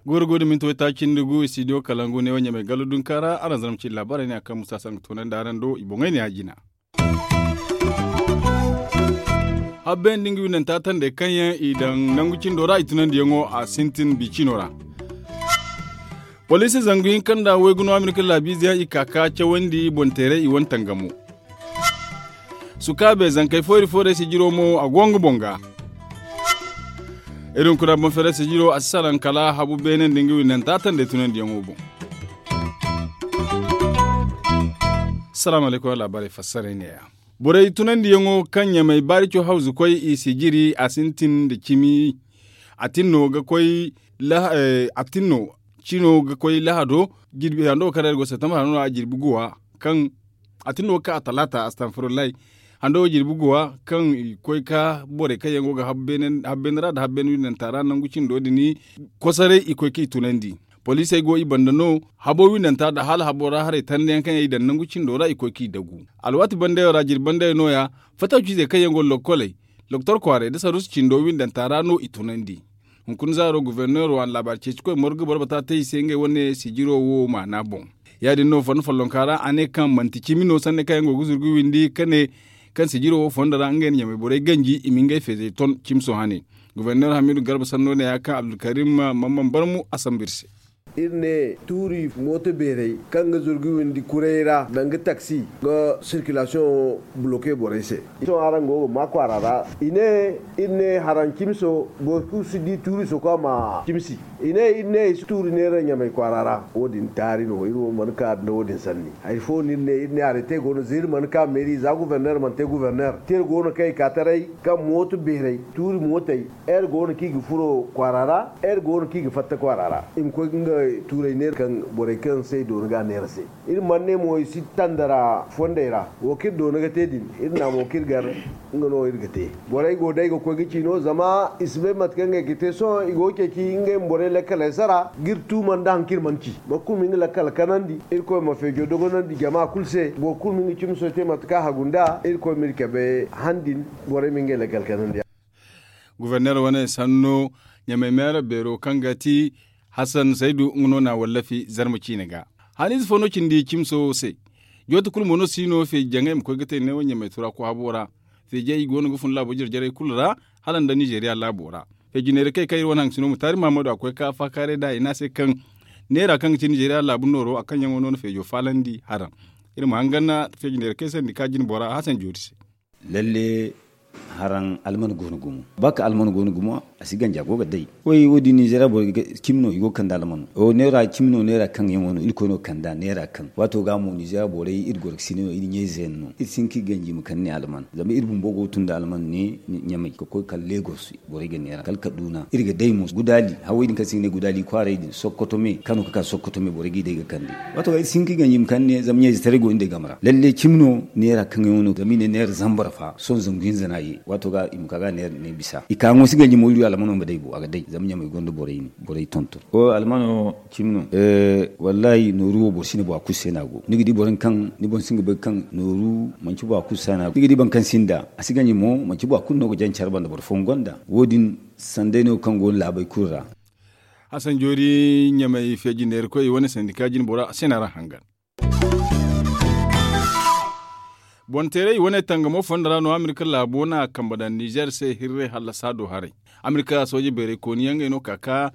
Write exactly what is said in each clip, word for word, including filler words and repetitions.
Gooro go da minti waytaaci nda gu studio kalangu ne wo ɲamay gallo dunka ra araŋ zarma cindi laabaarey ne a kaŋ musa saŋ ga toonandi araŋ do i boŋey ne a jina. Habbe nda nga windanta tandey kaŋ yaŋ i daŋ nangu cindo ra i tunandiyaŋo a sintin bi cino ra. Poliisi zangu hinka nda waygu no amerika laabiize yaŋ i ka ka cawandi boŋ teeray i wane tangamo. Sukaabe zankey foyri foyray sijiro mo a go nga boŋ ga. Iri hunkuna boŋ feeray sijiro a si salaŋ kala habu beene nda nga windanta tandey tunandiyaŋo boŋ. Salaamu alaykum laabaarey fassaray neeya. Borey tunandiyaŋo kaŋ ɲamay baarico hawzu koy i sijiri a sintin nda cimi. A tinno ga koy a tinno cino ga koy lahado jirbi hando kaŋ ra iri go septembre hando no a jirbi guwa kaŋ a tinno ga ka a talaata astanfurulay hando ga jirbi guwa kaŋ i koy ka borey kaŋ yaŋ go ga habbeene ra nda habbeene windanta ra nangu cindo din. Kosaray i koy k'i tunandi. Poliisey go i banda no habo windanta nda hala habo ra haray tanda yaŋ kaŋ yaŋ i daŋ nangu cindo ra i koy k'i dagu. Alwaati bandayo ra jirbi bandayo no- ya fatawciizey kaŋ yaŋ go lokkoley loktor kwaaray nda saruusu cindo windanta ra no i tunandi. Hunkuna zaaro goforneero a na laabaari ceeci koy morgu boro bata te i se ngey wane sijiro wo maana boŋ. Ya- din no fondo follonka ra a ne kaŋ manti cimi no sanni kaŋ yaŋ go ga zuru ga windi ka ne kaŋ sijiro wo fondo ra ngey na ɲamay borey ganji i ma ngey feezey ton cimi sohã ne. Goforneero hamiidu garba sanno ne ya kaŋ abdulkarim mamman barmu a sambu iri se. Iri ne tuuri mooto beerey kaŋ ga zuru ga windi kuray ra danga taksi ga sirkilasiyoŋ buloke borey se. Sohõ araŋ go ga maa kwaara ra i ne iri ne haraŋ cimiso boro kulu si di tuuri soko a ma cimsi. I ne iri ne i si tuuri neera ɲamay kwaara ra wo- din taari no iri wo mana ka nda wo- din sanni. Hari fo no iri ne iri ne arete go no za iri mana ka meeri za guforneer mana te guforneer te iri go no kaŋ i ka taray kaŋ mooto beerey tuuri mootey iri go no kaŋ i ga furo kwaara ra. Iri go no kaŋ i ga fatta kwaara ra i ma koy ga nga tuuray neera kaŋ borey kaŋ se i doona ga a neera se. Iri mana ne mo i si tandara fondey ra wo kaŋ iri doona ga te din iri na mo kaŋ iri gar. Nga no iri ga te borey go day ga koy ga ci no zama i si bay mate kaŋ ngey ga te sohõ i go ga ceeci ngey ma borey lakkaley sara ga iri tuuma nda hari kaŋ iri mana ci boro kulu ma nga lakkal kanandi. Irkoy ma feejo dogonandi jama kulu se boro kulu ma nga cimi sohõ te mate kaŋ a hagu nd'a irkoy ma iri cabe han din. Borey ma ngey lakkal kanandi. Guforneer wane sanno ɲamay meera beero kaŋ ga ti hasan saydu nga no na a wallafi zarma ciine ga. Haniize fo no cindi cimso se. Jooti kulu mo no si no feeji jaŋay ma koy ga te neewo ɲamay tura ko habo ra. Feejey i go no ga fun laabo jare jarey kulu ra hala nda nizeeriya laabo ra. Feeji neera kay kaŋ iri wane haŋ sino ma taari mahammadu a koy ka faakaaray nd'a i ne a se kaŋ neera kaŋ ga ti nizeeriya laabu nooro a kaŋ yaŋo no na feejo faalandi haraŋ. Iri ma hangan feeji neera kay sandi ka jine bora hasan joori se. Lalle haraŋ alman go no gumo ba ka alman go no gumo. A si ganja go ga day koy wo- din nizeeriya borey ga cimi no i go ga kande alman neera cimi no neera kaŋ yaŋo no irkoy no ga kand'a neera kaŋ waato ga mo nizeeriya borey iri goro ga sine no iri ɲayze yaŋ no iri si hin ka iri ganji ma kande alman zama iri bumbo go ga tun nda alman ne ɲamay ga koy kala legos. Borey ga neera kala kaduna iri ga day mo gudaali hawey din kaŋ se i ga ne gudaali kwaaray din sokoto me kano ga ka sokoto me borey g'i day ga kande. Waato ga iri si hin ka iri ganji ma kande zama ɲayze taray go iri day game ra lalle cimi no neera kaŋ yaŋo no zama i ne neera zambar fa sohõ zangu hinza no a ye waato ga i ma ka ga neera ne bisa i ka ŋo si ganji mo iri almano ma day bo a ga day zama ɲamay gonda borey ne borey tonton. Almano cimi no. Wallahi nooru wo boro si ne bora kulu se no a go ni ga di boro kaŋ ni boŋ si ga bay kaŋ nooru manci bora kulu se no a go ni ga di boro kaŋ sinda a si ganji mo manci bora kulu no ga jaŋ care banda boro fooyaŋ gonda wo- din. Sanday no kaŋ go no laabey kulu ra. Hasan joori ɲamay feeji neera koy wane sandika jine bora a se no a ra hangan. Boŋ teeray i wane tangamo fonda ra no amerika laabo na kambe daŋ nizeer se hirray hallasa do haray. Amerika sooje beeray kooni yaŋ ngey no ka ka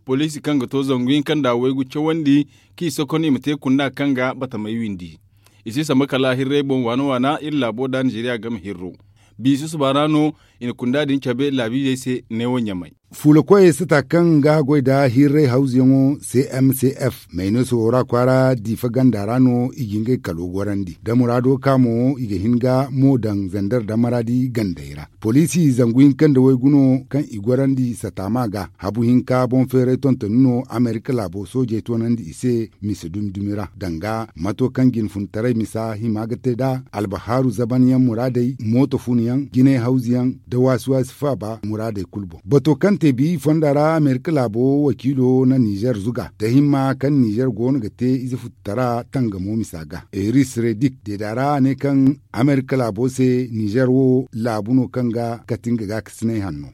poliisi kaŋ ga to zangu hinka nda waygu cawandi kaŋ i sokkon i ma te kunda kaŋ ga batamey windi. I si samba kala hirray boŋ waana waana iri laabo da nizeeriya game hirro. Biisu suba ra no i na kunda din cabe laabiizey se neewo ɲamay. Fuula koyey sata kaŋ ga goy nda hirray hawzuyaŋo cmcf mayneeso wo ra kwaara diifa ganda ra no i ga ngey kalo gorandi da muraado ka mo i ga hin ga mo daŋ zander da maraadi gandey ra. Poliisi zangu hinka nda waygu no kaŋ i gorandi sataama ga habu hinka boŋ feeray tontoni no amerika laabo soojey toonandi i se mise dumi dumi ra danga mato kaŋ jinfuntaray misa hima ga te nd'a albahaaru zabanyaŋ muraadey mooto funyaŋ jinay hawzuyaŋ nda waasi waasi faaba muraadey kulu boŋ bato kaŋ Tebi fonda ra amerika laabo wakiilo na nizer zuga da himma kaŋ nizer go no ga te ize futtutara tangamo misa ga eris redik deeda ra a ne kaŋ amerika laabo se nizer wo laabu no kaŋ ga kati nga gaakasinay hanno.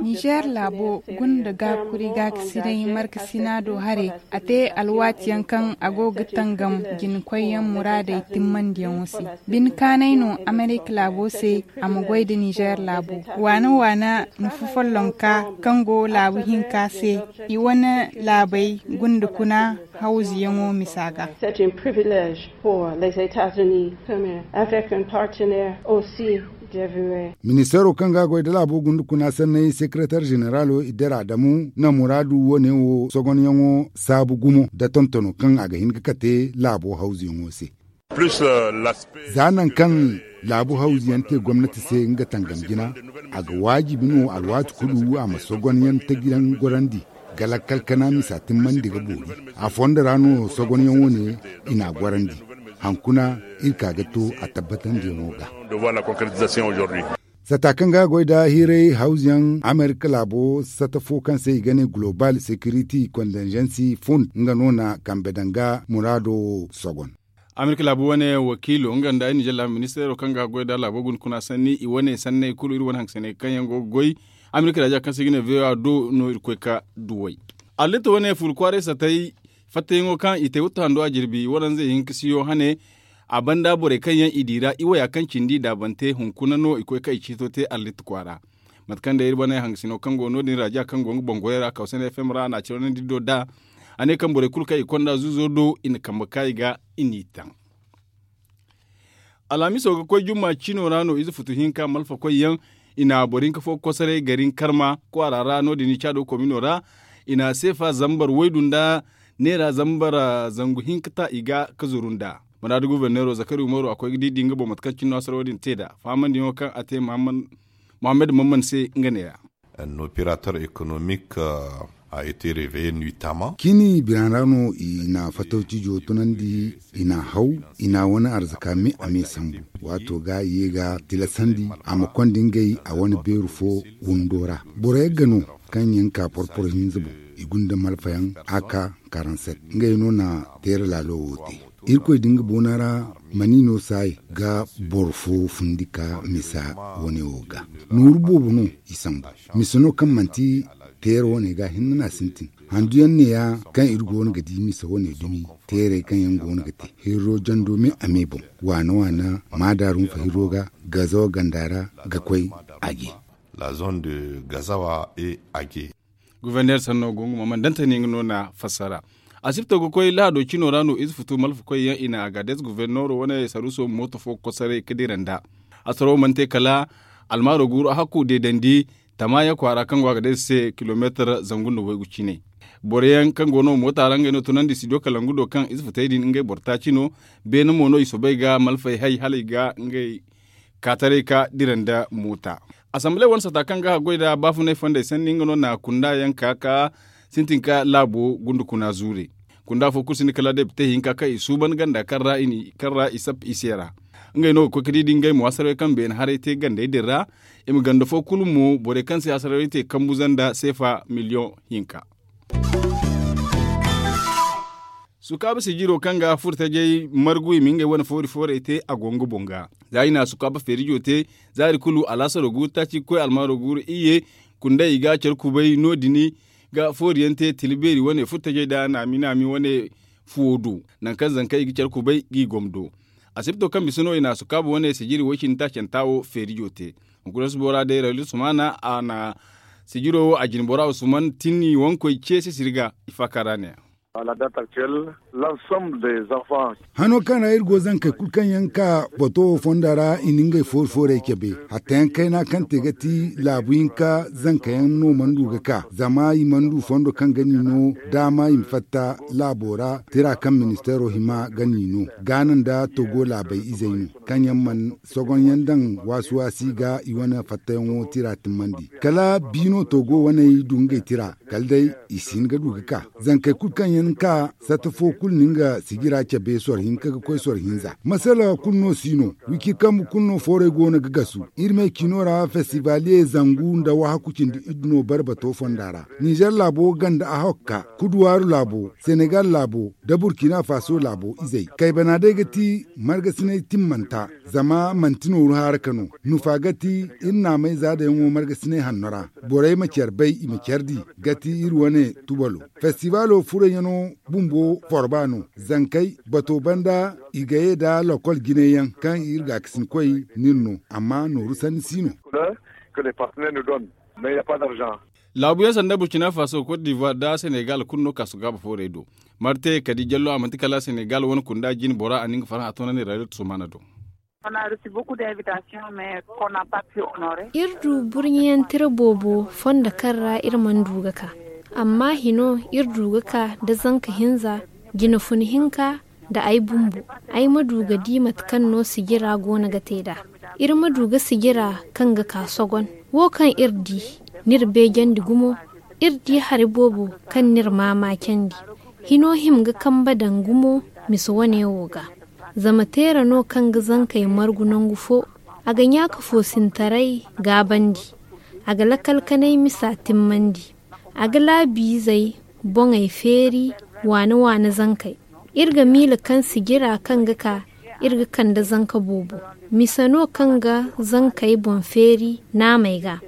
Nizer laabo gunda gaakuri gaakasinay markasina do haray. A te alwaati yaŋ kaŋ a go ga tangam jinkoy yaŋ muraadey timmandiyaŋo se. Bine kaanay no amerika laabo se a ma goy nda nizer laabo. Waana waana nufu follonka kaŋ go laabu hinka se i wane laabey gunda kuna hawzuyaŋo misa ga. Ministeero kaŋ ga a goy nda laabo gunda kuna sanney sekeretar zeneralo idara adamu na muraadu wane wo sogonyaŋo saabu gumo nda tontono kaŋ a ga hin ga kate laabo hawzuyaŋo se. Za nangu kaŋ laabu hawzuyaŋ te gomnati se nga tangam jina, a ga waajibi no alwaati kulu a ma sogonyaŋ tajiyaŋ gorandi ga lakkal kana misa timmandi ga boori. A fondo ra no sogonyaŋ wane i n'a gorandi. Hankuna iri ka ga to a tabbatandiyaŋo ga. Sata kaŋ ga a goy nda hiiray hawzuyaŋ amerika laabo sata fo kaŋ se i ga ne global security condengency fund nga no na kambe danga muraado sogon. Amerika laabu wane wakiilo nga nda ay nizer laabu ministeero kaŋ ga a goy nda laabo guna kuna sanni i wane sanney kulu iri wane hankasiney kaŋ yaŋ go ga goy amerika raaja kaŋ se i ga ne voa do no iri koy ga duw'ey. Allitta wane furu kwaaray satay fattayaŋo kaŋ i te wutta hando a jirbi waranzey hinka siyo hane. A banda borey kaŋ yaŋ i di ra i waya kaŋ cindi daabante hunkuna no i koy kaŋ i ciito te allitta kwaara. Mate kaŋ day iri wane hangasino kaŋ go no- din raaja kaŋ go nga boŋ goyey ra kawsane fm ra a na a cawandi do da a ne kaŋ borey kulu kaŋ i konda zuuzo do i na kambe kaayi ga i n'i taŋ. Alhamiso ga koy jumma cino ra no ize futu hinka malfakoy yaŋ i na boro hinka fo kosoray gari nkarma kwaara ra no- din caado komino ra. I na seefa zambar waydu nda neera zambar zangu hinka ta i ga ka zuru nd'a. Muraadu goforneero zakari umaru a koy ga diidi nga boŋ mate kaŋ cine no a sara wo- din te nd'a fahamandiyaŋo kaŋ a te muhammad mamman se nga neera. Operator économique a été réveillé nuitamment. Cini biraŋ ra no i na fatawcijo tunandi i na haw i na wane arzaka me a me sambu. Waato ga i ye ga tilasandi a ma konda ngey a wane beeru fo windo ra. Boro yagga no kaŋ yaŋ ka porporo hinza boŋ i gunda malfayaŋ a ka karanset ngey no na teera laalo wo te. Irkoy din ga boona ra mani no saay ga boro fo fundi ka misa wane wo ga nooru boobo no i sambu. Misa no kaŋ manti teera wane ga hinne no a sintin. Handuyaŋ neeya kaŋ iri go no ga di misa wane dumi teerey kaŋ yaŋ go no ga te hirro jando me a me boŋ waana waana maadaarun fa hirro ga gazawa ganda ra ga koy a je. La zone de gazawa et age. Goforneer sanno go nga ma man dantani nga no na fassara. Asibto ga koy lahado cino ra no ize futu malfakoy yaŋ i na agades goforneero wane saruso mooto fo kosoray ka dira nd'a. Asaro mana te kala almaaro guuru a hakku deedandi tamaya kwaara kaŋ go agades se kilomeetar zangu nda waygu cine. Boro yaŋ kaŋ go no moota ra ngey no tunandi studio kalangu do kaŋ ize futey din ngey boro taaci no. Beene mo no i soobay ga malfay hay hala i ga ngey kaataray ka dira nda moota. Asamble wane sata kaŋ ga haggoy nda baafunay fondey sanni nga no na kunda yaŋ ka ka sintin ka laabo gunda kuna zuure. Kunda fo kulu sinda kala depite hinka kaŋ i suuban ganda kaŋ ra i sap i se ra. Ngey no ga koy ka di da ngey mo hasararay kaŋ beene haray te gandey din ra. I ma ganda fo kulu mo borey kaŋ se hasararay te kambuza nda seefa miliyoŋ hinka. Sukaaba sijiro kaŋ ga furtajey margu i ma ngey wane foori foorey te a go nga boŋ ga. Za i na sukaaba feerijo te zaari kulu alaasaro guuru taaci ga koy almaaro guuru iyye. Kunday i ga care kubay no- din ga fooriyaŋ te tila beeri wane furtajey nda naami naami wane fuwo do. Nangu kaŋ zankey i ga care kubay g'i gomdo. Asibto kaŋ bisa no i na sukaaba wane sijiri way cindi taacanta wo feerijo te. Hunkuna subo ra day raylu sumaana a na sijiro wo a jine bora usman tinni wankoy ce sisiri ga i faaka ra ne ya. Hano kaŋ ra iri go zankey kulu kaŋ yaŋ ka bato wo fonda ra i na ngey foori foorey cabe. Hattayaŋ kayna kaŋ te ga ti laabu hinka zankayaŋ no mana du ga ka zama i mana du fondo kaŋ ga ni no daama i ma fatta laabo ra tira kaŋ ministeero hima ga ni no. Gaana nda togo laabey izey no kaŋ yaŋ mana sogonyaŋ daŋ waasi waasi ga i wane fattayaŋo tira timmandi kala biino togo waney du ngey tira kala day i si hin ga du ga ka zankey kulu kaŋ yaŋ Ni ka satta fo kulu na nga sijira cabe soro hinka ga koy soro hinza masala kulu no si no. Wiki kambu kulu no foorey go no ga gasu. Iri me ciino ra festivalye zangu nda wahaku cindi iddu no barbato fonda ra. Nizer laabo ganda a hokka kuduwaaru laabo, senegal laabo, da burkina faso laabo izey kaybana day ga ti margasinay timmanta. Zama manti nooru haaraka no. Nufa ga ti iri naamay zaadayaŋo margasinay hanno ra. Borey ma care bay i ma care di ga ti iri wane tubalo. Festibalo furayyaŋo bumbo forba no. Zankey bato banda i ga ye nda lokol jinayyaŋ kaŋ iri gaakasinkoy n'iri no. Amma nooru sanni si no. Laabuyaŋ sanda burkina faso cote d'ivoire nda senegal kulu no kaasu gaaba foorey do. Marte kadi jallo a manti kala senegal wane kunda jine bora a na nga farhã toonandi rayot sumana do. Iri du burɲiyaŋ tira boobo fondo kaŋ ra iri mana du ga ka. Amma hino iri du ga ka nda zanka hinza, jina fun hinka, nda ay bumbo. Ay ma du ga di mate kaŋ no sijira go no ga te nd'a. Iri ma du ga sijira kaŋ ga ka sogon. Wo kaŋ iri di, n'iri beejandi gumo. Iri di hari boobo kaŋ n'iri maamaacandi. Hino hima ga kambe daŋ gumo, mise wane wo ga. Zama teera no kaŋ ga zankey margu nangu fo. A ga ɲaaka foosintaray gaabandi. A ga lakalkanay misa timmandi. A ga laabiizey boŋey feeri waane-waane zankey. Iri ga miila kaŋ sijira kaŋ ga ka, iri ga kande zanka boobo. Mise no kaŋ ga zankey boŋ feeri naamey ga.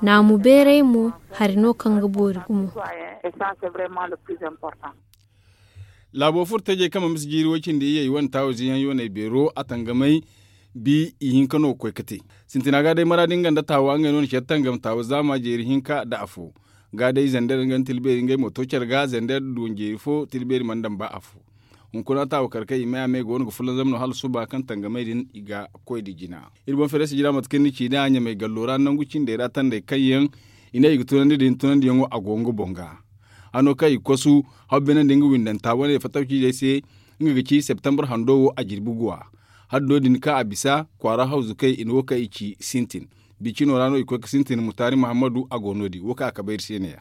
Naamu beeray mo, hari no kaŋ ga boori gumo. Laabo furo tajey kaŋ ma mise jiiri way-cindi iyye i wane taawo ziyaŋ yooney beero a tangamay. Bi ihinka no ga koy ga te. Sintina ga day maraadi nga nda taawa ngey no na care tangam taawa zaama jeeri hinka nda afo. Ga day zander nga nda tilbeeri ngey mo to care ga zander duwanjeeri fo tilbeeri mana daŋ ba afo. Hunkuna taawa kar kaŋ i may a may go no ga fulanzam no hala suba kaŋ tangamay din i ga koy nda jina. Iri boŋ feerey sijira mate kaŋ ni ci nd'a ɲamay gallo ra nangu cindey ra tandey kaŋ yaŋ i ne i ga tunandi din tunandiyaŋo a go nga boŋ ga. Hano kaŋ i ga kosu hawbeenandi nga windanta wane fattaw ciijey se. Nga ga ci septembre hando wo a jirbi guwa. Haddo din kaŋ a bisa kwaara hawzukey i na wo kaŋ i ci sintin. Bicino ra no i koy ga sintin mutaari muhammadu a go no- din wo kaŋ a kabayri se ne-ya.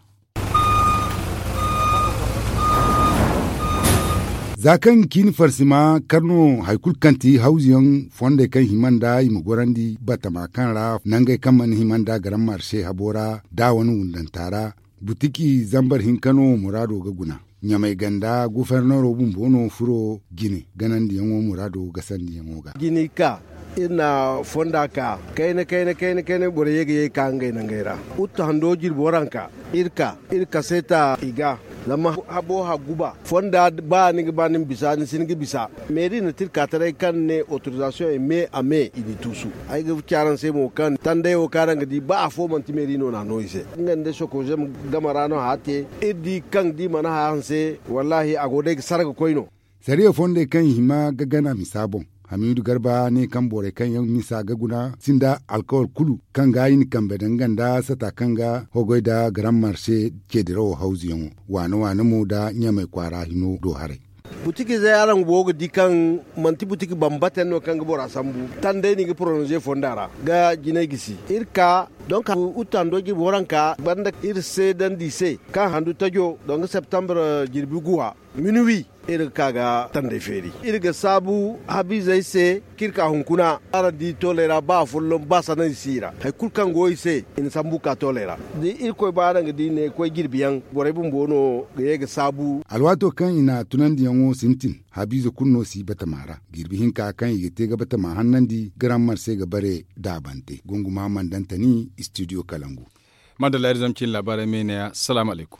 Za kaŋ ga ciini farsima kar no hari kulu kaŋ ti hawzuyaŋ fondey kaŋ hima nd'a i ma gorandi batama kaŋ ra nangey kaŋ mana hima nd'a garan marse habo ra da wane wundanta ra. Butiki zambar hinka no muraado ga guna. Ɲamay ganda gufernero bumbo no furo jine ganandiyaŋo muraado gasandiyaŋo ga. Jine ka iri na fonda ka kayna kayna kayna kayna borey ye ga ye ga ka ngey nangey ra. Uttu hando jirbi waranka iri ka iri kaseeta i ga. Zama habo hagguba fonda ba ni ga ba ni ma bisa ni si ni ga bisa. Meeri na tirka taray kaŋ ne autorisation e me a me i n'i tuusu. Ay ga ci araŋ se mo kaŋ tanday wo kaŋ araŋ ga di ba afo manti meeri no na a no i se nga nda sokoze game ra no hã te. Iri di kaŋ da i mana hã hanse wallaahi a go day ga sarga koy no. Sariya fondey kaŋ i hima ga gana misa boŋ. Hamiidu garba ne kaŋ borey kaŋ yaŋ misa ga guna sinda alkawal kulu kaŋ ga i na kambe daŋ nga nda sata kaŋ ga hogoy nda garan marse ceedirawo hawzuyaŋo waane waane mo nda ɲamay kwaara hino do haray. Butikizey araŋ go ga di kaŋ manti butiki bambata yaŋ no kaŋ ga bora sambu. Tanday no i ga porononze fonda ra ga jinay gisi iri ka donk uttando jirbi waranka banda iri seedandi i se kaŋ handu tajo donk septembre jirbi guwa minuwi. Iri ga ka ga tanday feeri iri ga saabu habiizey se kaŋ iri ka hunkuna araŋ di tooley ra ba afolloŋ ba sanay si i ra hari kulu kaŋ go i se i na sambu ka tooley ra. Da irkoy ba araŋ ga di ne koy jirbi yaŋ borey bumbo no ga ye ga saabu. Alwaato kaŋ i na tunandiyaŋo sintin habiize kulu no si batama ra jirbi hinka kaŋ i ga te ga batama hannandi garan marse ga bare daabante gunguma mandantani studio kalangu. Madalla iri zama cine laabaarey me ne ya salaamu alaykum.